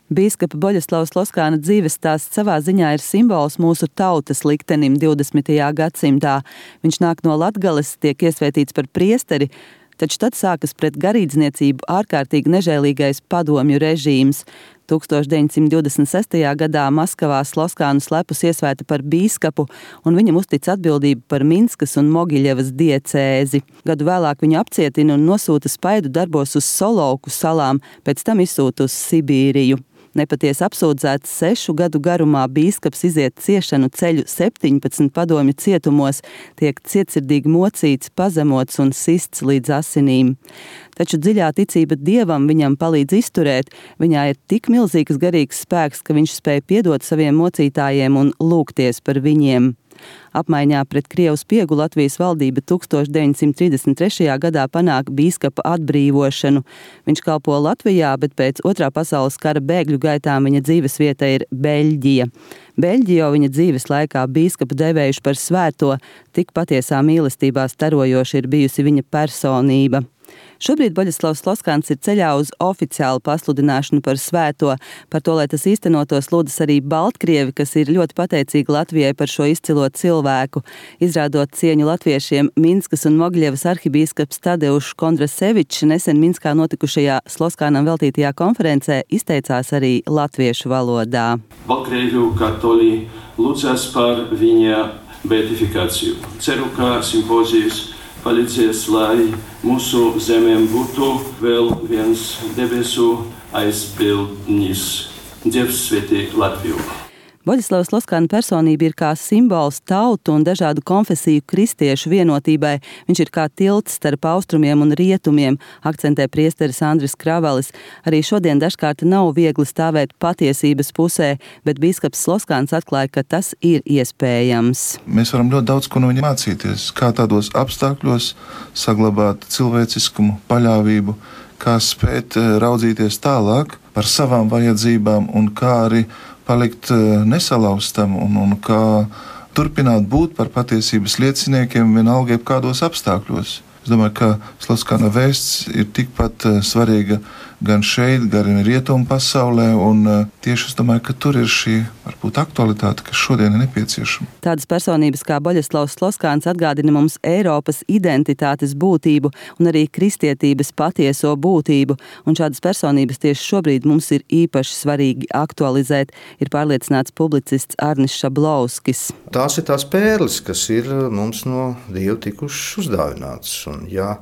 Bīskapa Boļeslavas Loskāna dzīves stāsts savā ziņā ir simbols mūsu tautas liktenim 20. gadsimtā. Viņš nāk no Latgales, tiek iesvētīts par priesteri, taču tad sākas pret garīdzniecību ārkārtīgi nežēlīgais padomju režīms. 1926. gadā Maskavā Loskānu slepus iesvēta par bīskapu, un viņam uztic atbildību par Minskas un Mogiļevas diecēzi. Gadu vēlāk viņu apcietina un nosūta spaidu darbos uz Solovku salām, pēc tam izsūta uz Sibīriju. Nepatiesi apsūdzēts 6 gadu garumā bīskaps iziet ciešanu ceļu 17 padomju cietumos, tiek cietsirdīgi mocīts, pazemots un sists līdz asinīm. Taču dziļā ticība Dievam viņam palīdz izturēt, viņā ir tik milzīgs garīgs spēks, ka viņš spēj piedot saviem mocītājiem un lūgties par viņiem. Apmaiņā pret Krievu spiegu Latvijas valdība 1933. gadā panāk bīskapa atbrīvošanu. Viņš kalpo Latvijā, bet pēc Otrā pasaules kara bēgļu gaitām viņa dzīvesvieta ir Beļģija. Beļģi jau viņa dzīves laikā bīskapu devējuši par svēto, tik patiesā mīlestībā starojoši ir bijusi viņa personība. Šobrīd Boļeslavs Loskāns ir ceļā uz oficiālu pasludināšanu par svēto. Par to, lai tas īstenotos, lūdzas arī Baltkrievi, kas ir ļoti pateicīgi Latvijai par šo izcilo cilvēku. Izrādot cieņu latviešiem, Minskas un Mogiļevas arhibīskaps Tadeušs Kondrasevičs nesen Minskā notikušajā Loskānam veltītajā konferencē izteicās arī latviešu valodā. Baltkrievu katoļi lūdzas par viņa beatifikāciju. Ceru, ka simpozijas palīdzēs, lai mūsu zemēm būtu vēl viens debesu aizpildnis. Dievs svētī Latviju! Boļeslavas Loskāna personība ir kā simbols tautu un dažādu konfesiju kristiešu vienotībai. Viņš ir kā tilts starp austrumiem un rietumiem, akcentē priesteris Andris Kravalis. Arī šodien dažkārt nav viegli stāvēt patiesības pusē, bet bīskaps Loskāns atklāja, ka tas ir iespējams. Mēs varam ļoti daudz ko no viņa mācīties, kā tādos apstākļos saglabāt cilvēciskumu, paļāvību, kā spēt raudzīties tālāk par savām vajadzībām un kā arī palikt nesalauztam un kā turpināt būt par patiesības lieciniekiem vienalga jebkādos apstākļos. Es domāju, ka Loskāna vēsts ir tikpat svarīga gan šeit, gan rietumu pasaulē, un tieši es domāju, ka tur ir šī varbūt aktualitāte, kas šodien ir nepieciešama. Tādas personības kā Boļeslavs Loskāns atgādina mums Eiropas identitātes būtību un arī kristietības patieso būtību, un šādas personības tieši šobrīd mums ir īpaši svarīgi aktualizēt, ir pārliecināts publicists Arnis Šablovskis. Tās ir tās pērles, kas ir mums no Dieva tikušas uzdāvinātas, un ja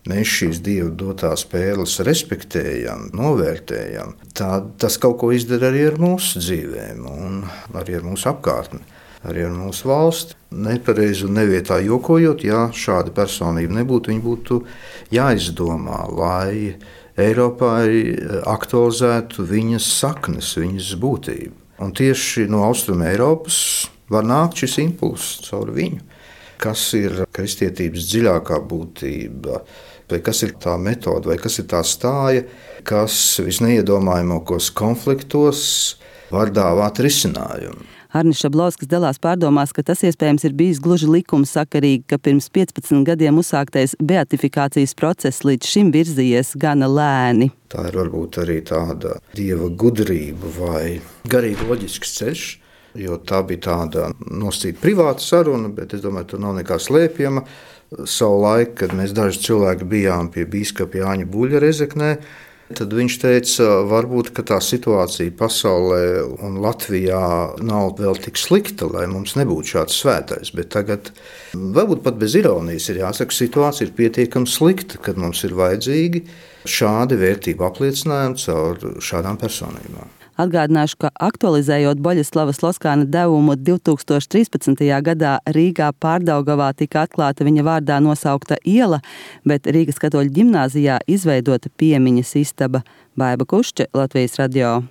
mēs šīs Dieva dotās pērles respektējam, novērtējam, tad tas kaut ko izdara arī ar mūsu dzīvēm un arī ar mūsu apkārtni, arī ar mūsu valsti. Nepareizi un nevietā jokojot, ja šāda personība nebūtu, viņa būtu jāizdomā, lai Eiropā aktualizētu viņas saknes, viņas būtību. Un tieši no Austruma Eiropas var nākt šis impulss caur viņu. Kas ir kristietības dziļākā būtība, vai kas ir tā metode, vai kas ir tā stāja, kas visneiedomājamākos konfliktos var dāvāt risinājumu. Arnis Šablovskis dalās pārdomās, ka tas iespējams ir bijis gluži likumsakarīgi, ka pirms 15 gadiem uzsāktais beatifikācijas process līdz šim virzījies gana lēni. Tā ir varbūt arī tāda Dieva gudrība vai garīgi loģisks ceļš, jo tā bija tāda nosacīta privāta saruna, bet es domāju, tur nav nekā slēpjama. Savu laiku, kad mēs daži cilvēki bijām pie bīskapa Jāņa Buļļa Rezeknē, tad viņš teica, varbūt, ka tā situācija pasaulē un Latvijā nav vēl tik slikta, lai mums nebūtu šāds svētais, bet tagad, varbūt pat bez ironijas ir jāsaka, situācija ir pietiekami slikta, kad mums ir vajadzīgi šādi vērtību apliecinājumi caur šādām personībām. Atgādināšu, ka aktualizējot Boļeslavas Loskāna devumu 2013. gadā Rīgā Pārdaugavā tika atklāta viņa vārdā nosaukta iela, bet Rīgas katoļu ģimnāzijā izveidota piemiņas istaba. Baiba Kušče, Latvijas radio.